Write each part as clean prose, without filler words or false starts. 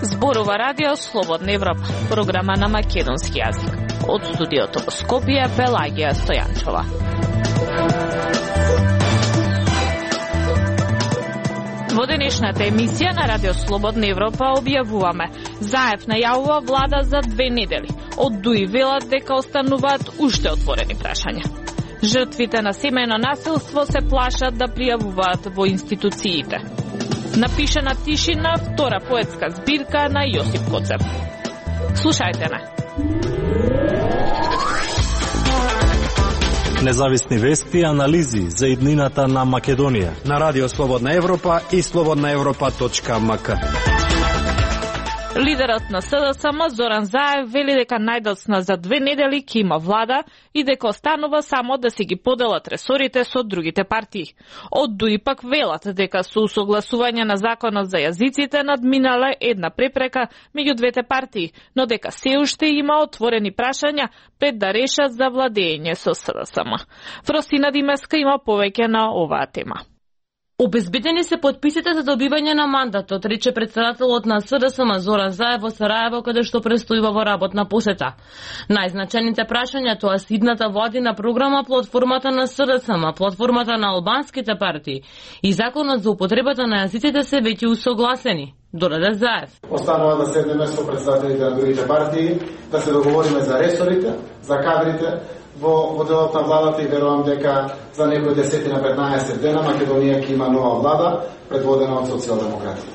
Зборува радио Слободна Европа, програма на македонски јазик. Од студиото во Скопје, Пелагија Стојанчова. Во денешната емисија на Радио Слободна Европа објавуваме: Заев најавува влада за 2 недели. Од ДУИ велат дека остануваат уште отворени прашања. Жртвите на семејно насилство се плашат да пријавуваат во институциите. Напишана тишина, втора поетска збирка на Јосип Коцев. Слушајте ме. Независни вести и анализи за иднината на Македонија на Радио Слободна Европа и slobodnaevropa.mk. Лидерот на СДСМ Зоран Заев вели дека најдоцна за 2 недели ќе има влада и дека останува само да си ги поделат ресорите со другите партии. Од ДУИ пак велат дека со усогласување на законот за јазиците надминале една препрека меѓу двете партии, но дека се уште има отворени прашања пред да решат за владење со СДСМ. Фросина Димеска има повеќе на оваа тема. Обезбедени се подписите за добивање на мандатот, рече председателот на СДСМ Зоран Заев во Сараево, каде што престојува во работна посета. Најзначените прашања тоа се идната владина програма, платформата на СДСМ, платформата на албанските партии и законот за употребата на јазиците се веќе усогласени. Додаде Заев. Останува да седнеме со представителите на другите партии, да се договориме за ресорите, за кадрите, во делот на владата и верувам дека за некои 10 на 15 дена Македонија ќе има нова влада предводена од социјалдемократите.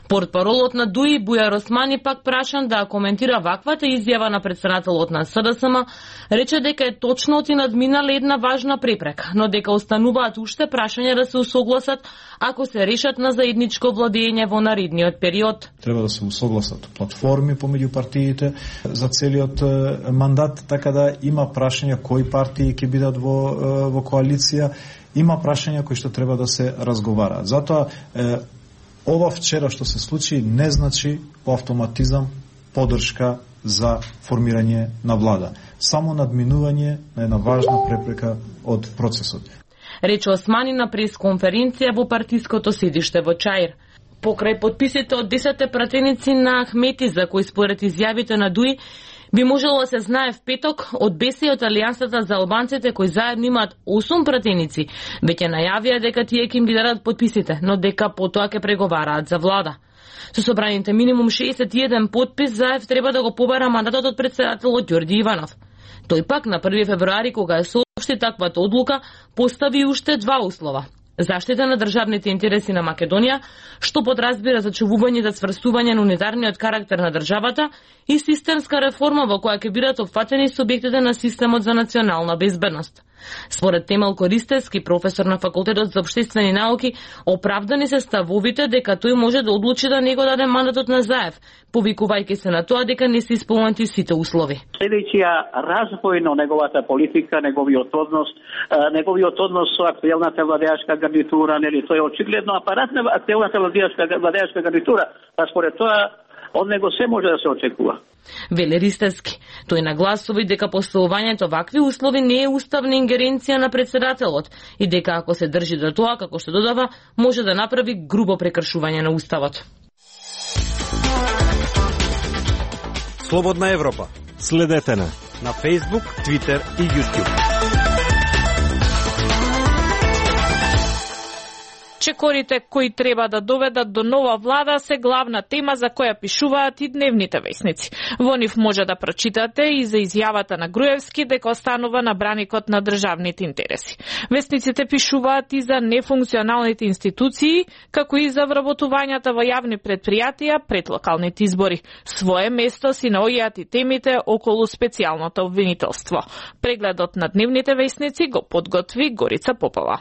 Портпаролот на ДУИ Бујар Османи пак прашан да коментира ваквата изјава на председателот на СДСМ, рече дека е точно и надминале една важна препрека, но дека остануваат уште прашања да се усогласат ако се решат на заедничко владење во наредниот период. Треба да се усогласат платформи помеѓу партиите за целиот мандат, така да има прашања кои партии ќе бидат во коалиција, има прашања кои што треба да се разговараат. Затоа ова вчера што се случи не значи по автоматизам поддршка за формирање на влада. Само надминување на една важна препрека од процесот. Рече Османи на пресконференција во партиското седиште во Чаир. Покрај подписите од 10 пратеници на Ахмети, за кои според изјавите на ДУИ би можело да се знае в петок, од БЕСИ од Алијансата за албанците кои заедно имаат 8 пратеници, веќе најавија дека тие ќе им ги дадат подписите, но дека потоа ќе преговараат за влада. Со собраните минимум 61 подпис, Заев треба да го побара мандатот од председателот Ѓорѓи Иванов. Тој пак на 1 февруари, кога е соопшти таквата одлука, постави уште 2 услова. Заштита на државните интереси на Македонија, што подразбира зачувување за сврсување на унитарниот карактер на државата и системска реформа во која ќе бидат опфатени субјектите на системот за национална безбедност. Според Темел Користевски, професор на Факултетот за општествени науки, оправдани се ставовите дека тој може да одлучи да не го даде мандатот на Заев, повикувајќи се на тоа дека не се исполнети сите услови. Следејќиот развој на неговата политика, неговиот однос со актуелната владеачка гарнитура, нели тој е очигледно апарат на актуелната владеачка гарнитура, па според тоа од него се може да се очекува. Веле Ристевски. Тој нагласува дека поставувањето вакви услови не е уставна ингеренција на председателот и дека ако се држи до тоа, како што додава, може да направи грубо прекршување на уставот. Слободна Европа. Следете на Facebook, Twitter и YouTube. Чекорите кои треба да доведат до нова влада се главна тема за која пишуваат и дневните весници. Во нив може да прочитате и за изјавата на Груевски дека останува на браникот на државните интереси. Весниците пишуваат и за нефункционалните институции, како и за вработувањата во јавни предпријатија пред локалните избори. Свое место си наоѓаат и темите околу специјалното обвинителство. Прегледот на дневните весници го подготви Горица Попова.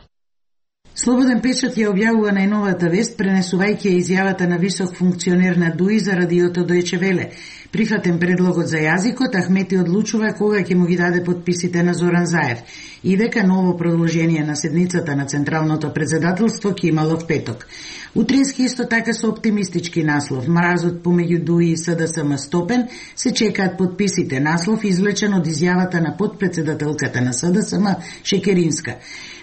Слободен печат ја објавува најновата вест, пренесувајќи изјавата на висок функционер на ДУИ за радиото Дојче Веле. Прифатен предлогот за јазикот, Ахмети одлучува кога ќе му ги даде подписите на Зоран Заев и дека ново продолжение на седницата на Централното председателство ќе имало в петок. Утрински исто така со оптимистички наслов. Мразот помеѓу ДУИ и СДСМ стопен, се чекаат подписите. Наслов извлечен од изјавата на подпредседателката на СДСМ Шекеринска.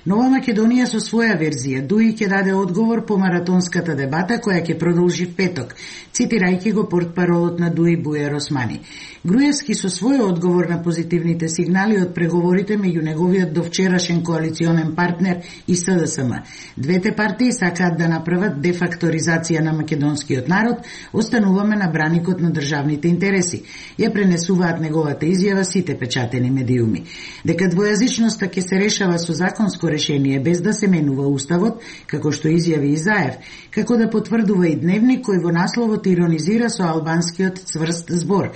Нова Македонија со своја верзија. ДУИ ќе даде одговор по маратонската дебата која ќе продолжи в петок, цитирајќи го портпаролот на ДУИ Бујар Османи. Груевски со свој одговор на позитивните сигнали од преговорите меѓу неговиот довчерашен коалиционен партнер и СДСМ. Двете партии сакаат да направат дефакторизација на македонскиот народ, остануваме на браникот на државните интереси. Ја пренесуваат неговата изјава сите печатени медиуми. Дека двојазичноста ќе се решава со законско решение без да се менува уставот, како што изјави и Заев, како да потврдува и Дневник кој во насловот иронизира со албанскиот цврст збор.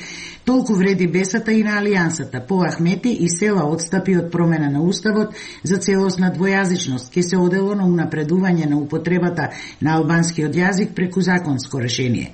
Толку вреди бесата и на алијансата. По Ахмети и села одстапи од промена на уставот за целосна двојазичност ке се одело на унапредување на употребата на албанскиот јазик преку законско решение.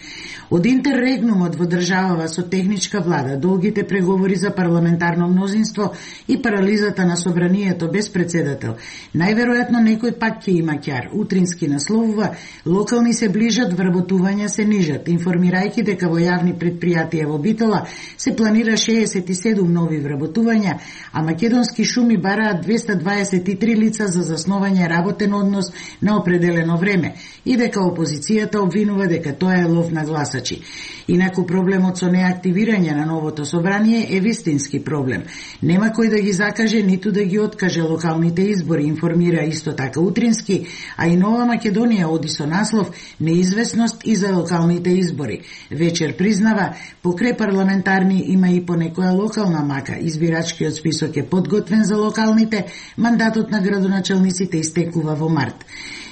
Од интеррегнумот во државава со техничка влада, долгите преговори за парламентарно мнозинство и парализата на собранието без председател, најверојатно некој пак ќе има ќар. Утрински насловува: локални се ближат, вработувања се нижат, информирајќи дека во јавни предпријатија во Битола се планира 67 нови вработувања, а Македонски шуми бараат 223 лица за заснување работен однос на определено време и дека опозицијата обвинува дека тоа е лов на гласачи. Инаку проблемот со неактивирање на новото собрание е вистински проблем. Нема кој да ги закаже ниту да ги откаже локалните избори, информира исто така Утрински, а и Нова Македонија оди со наслов неизвестност и за локалните избори. Вечер признава, покрај парламентарни има и по некоја локална мака. Избирачкиот список е подготвен за локалните, мандатот на градоначелниците истекува во март.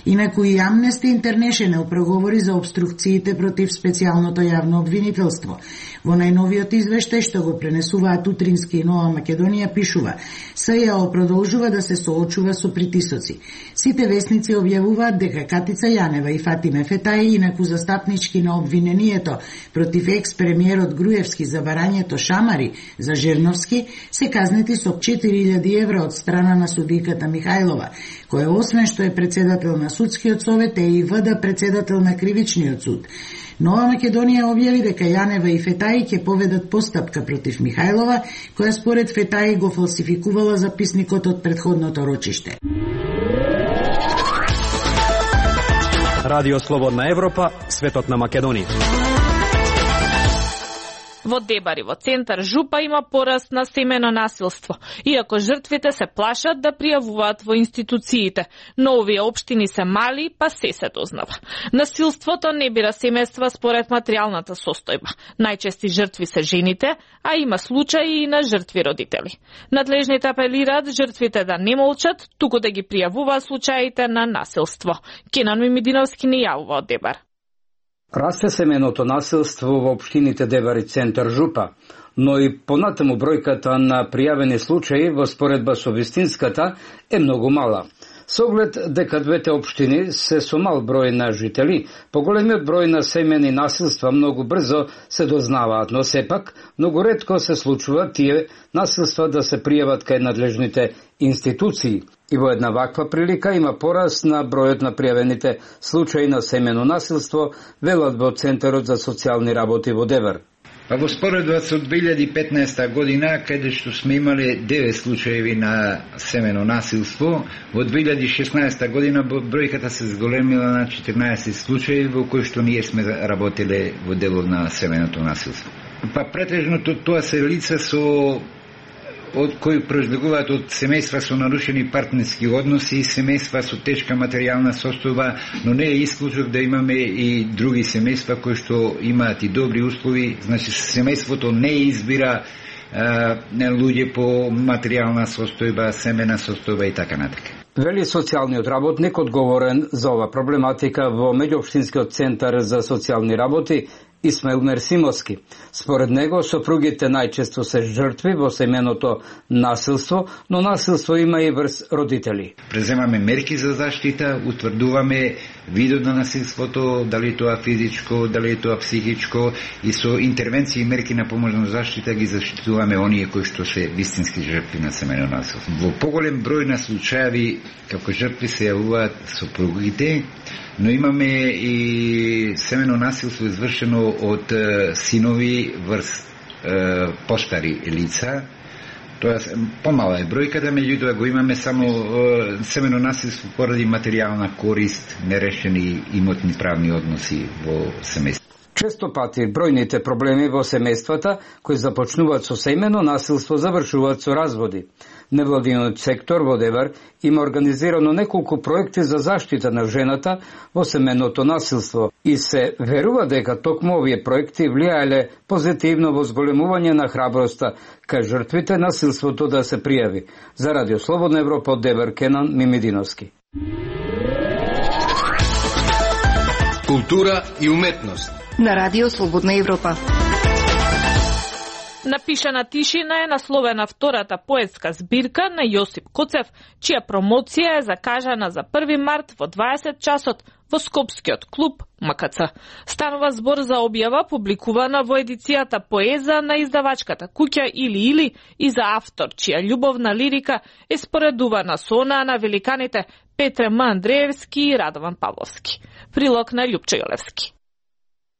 Инаку и Amnesty International проговори за обструкциите против специјалното јавно обвинителство. Во најновиот извештај што го пренесуваат Утрински и Нова Македонија пишува: СЈО продолжува да се соочува со притисоци. Сите весници објавуваат дека Катица Јанева и Фатиме Фетаи, инаку застапнички на обвинението против екс-премиерот Груевски за барањето шамари за Жерновски, се казнети со 4000 евра од страна на судиката Михајлова, која освен што е председател на Судскиот совет е и ВД председател на Кривичниот суд. Нова Македонија објави дека Јанева и Фетаи ќе поведат постапка против Михајлова, која според Фетаи го фалсификувала записникот од претходното рочиште. Радио Слободна Европа, светот на Македонија. Во Дебари, во центар Жупа, има пораст на семено насилство, иако жртвите се плашат да пријавуваат во институциите, но овие општини се мали, па се дознава. Насилството не бира семејства според материјалната состојба. Најчести жртви се жените, а има случаи и на жртви родители. Надлежните апелираат жртвите да не молчат, туку да ги пријавуваат случаите на насилство. Кенан Мимидиновски ни јавува од Дебар. Расте семеното насилство во општините Дебар и центар Жупа, но и понатаму бројката на пријавени случаи во споредба со вистинската е многу мала. Со оглед дека двете општини се со мал број на жители, поголемиот број на семени насилства многу брзо се дознаваат, но сепак многу ретко се случува тие насилства да се пријават кај надлежните институции. И во една ваква прилика има пораст на бројот на пријавените случаи на семено насилство, велат во Центарот за социјални работи во Дебар. Па во споредба со 2015 година, каде што сме имале 9 случаеви на семено насилство, во 2016 година бројката се зголемила на 14 случаи во кои што ние сме работеле во делот на семеното насилство. Па претежното тоа се лица од кои произлегуваат од семејства со нарушени партнерски односи, семејства со тешка материјална состојба, но не е исклучок да имаме и други семејства кои што имаат и добри услови. Значи, семејството не избира луѓе по материјална состојба, семена состојба и така натака. Вели социјалниот работник одговорен за ова проблематика во Меѓуопштинскиот центар за социјални работи Исмаил Мерсимовски. Според него, сопругите најчесто се жртви во семеното насилство, но насилство има и врз родители. Преземаме мерки за заштита, утврдуваме видот на насилството, дали тоа физичко, дали тоа психичко, и со интервенции и мерки на pomožна заштита ги заштитуваме оние кои што се вистински жртви на семено насилство. Во поголем број на случаи како жртви се јавуваат сопругите, но имаме и семено насилство извршено од синови врз постари лица. Тоа помала е бројката, меѓутоа го имаме само семено насилство поради материјална корист, нерешени имотни правни односи во семејство. Често пати бројните проблеми во семејствата кои започнуваат со семено насилство завршуваат со разводи. Невладиниот сектор во Девар има организирано неколку проекти за заштита на жената во семеното насилство и се верува дека токму овие проекти влијаеле позитивно во зголемување на храброста кај жртвите насилството да се пријави. За Радио Слободна Европа од Девар, Кенан Мимидиновски. Култура и уметност на Радио Слободна Европа. Напишана тишина е насловена втората поетска збирка на Јосип Коцев, чија промоција е закажана за 1 март во 20 часот во Скопскиот клуб МКЦ. Станува збор за објава публикувана во едицијата Поеза на издавачката куќа Или и за автор чија љубовна лирика е споредувана со онаа на великаните Петре М. Андреевски и Радован Павловски. Прилог на Љупче Јолевски.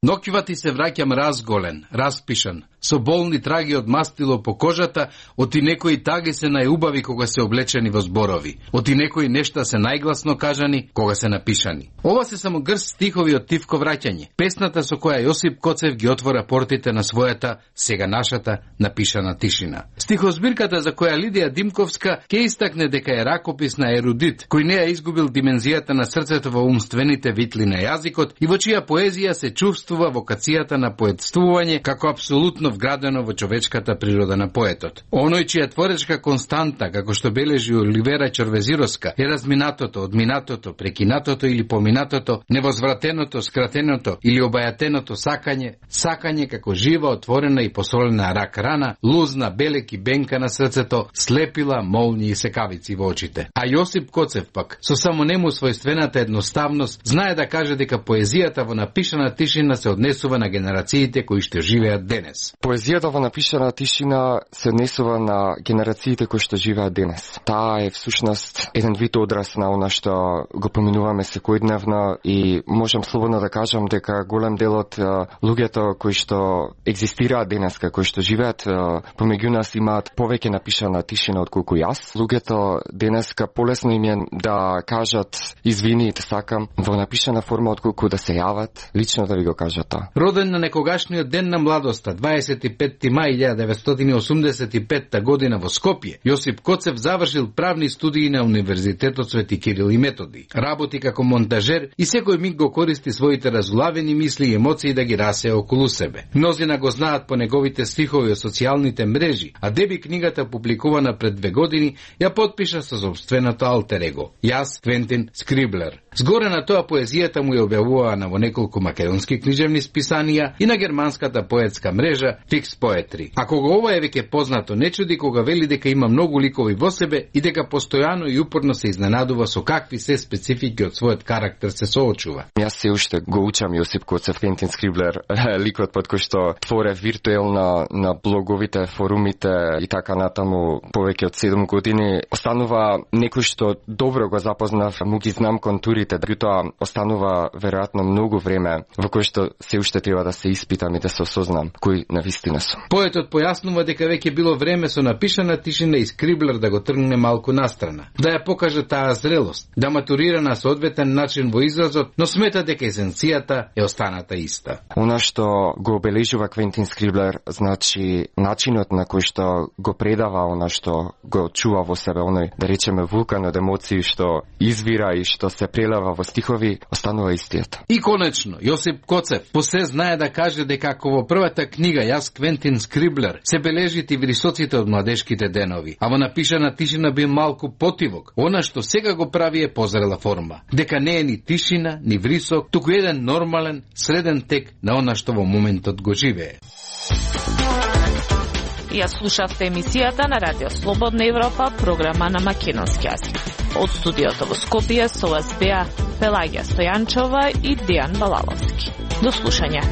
Ноќува ти се враќам разголен, распишан, со болни траги од мастило по кожата, оти некои таги се најубави кога се облечени во зборови, оти некои нешта се најгласно кажани кога се напишани. Ова се само грст стихови од Тивко враќање, песната со која Јосип Коцев ги отвора портите на својата, сега нашата, напишана тишина. Стихозбирката за која Лидија Димковска ќе истакне дека е ракопис на ерудит, кој не ја изгубил димензијата на срцето во умствените витли на јазикот и во чија поезија се чувствува вокацијата на поетствување како апсолутно вградено во човечката природа на поетот. Оној чија творечка константа, како што бележи Оливера Чорвезировска, е разминатото, одминатото, прекинатото или поминатото, невозвратеното, скратеното или обајатеното сакање како жива, отворена и посолена рак рана, лузна, белек и бенка на срцето, слепила, молни и секавици во очите. А Јосип Коцев пак, со само нему својствената едноставност, знае да каже дека поезијата во напишана тишина се однесува на генерациите кои што живеат денес. Поезијата во напишана тишина се однесува на генерациите кои што живеат денес. Таа е всушност еден вид одраз на она што го поминуваме секојдневно и можам слободно да кажам дека голем дел од луѓето кои што екзистираат денеска, кои што живеат помеѓу нас имаат повеќе напишана тишина отколку јас. Луѓето денеска полесно им е да кажат извини, те сакам во напишана форма отколку да се јават, лично да ви го кажат тоа. Роден на некогашниот ден на младоста, 25 мај 1985 година во Скопје, Јосип Коцев завршил правни студии на Универзитетот Свети Кирил и Методи. Работи како монтажер и секој миг го користи своите разглавени мисли и емоции да ги расее околу себе. Мнозина го знаат по неговите стихови од социјалните мрежи, а деби книгата публикувана пред 2 години ја потпиша со собственото алтер его, јас Квентин Скриблер. Згоре на тоа поезијата му ја објавувана во неколку македонски книжевни списанија и на германската поетска мрежа Fix Poetry. А кога ова е веќе познато, не чуди кога вели дека има многу ликови во себе и дека постојано и упорно се изненадува со какви се специфики од својот карактер се соочува. Јас се уште го учам Јосип Коцев, Квентин Скриблер, ликот под кој што творе виртуелно на блоговите, форумите и така натаму повеќе од 7 години. Останува некој што добро го запознав, му ги знам контурите, тоа останува веројатно многу време во кој што се уште треба да се испитам и да се осознам кој навистина сум. Поетот појаснува дека веќе било време со напишана тишина и Скриблер да го тргне малку настрана, да ја покаже таа зрелост, да матурира на соодветен начин во изразот, но смета дека есенцијата е останата иста. Она што го обележува Квентин Скриблер, значи начинот на кој што го предава она што го чува во себе, оној, да речеме, вулкан од емоции што извира и што се прелива предава во стихови, останува истиот. И конечно, Јосип Коцев посе знае да каже дека ако во првата книга Јас Квентин Скриблер се бележите вирисоците од младешките денови, а во напишана тишина бил малку потивок, она што сега го прави е позрела форма. Дека не е ни тишина, ни врисок, туку еден нормален, среден тек на она што во моментот го живее. Ја слушавте емисијата на Радио Слободна Европа, програма на македонски јазик. Од студиото во Скопје со вас беа Пелагија Стојанчова и Дејан Балаловски. До слушање.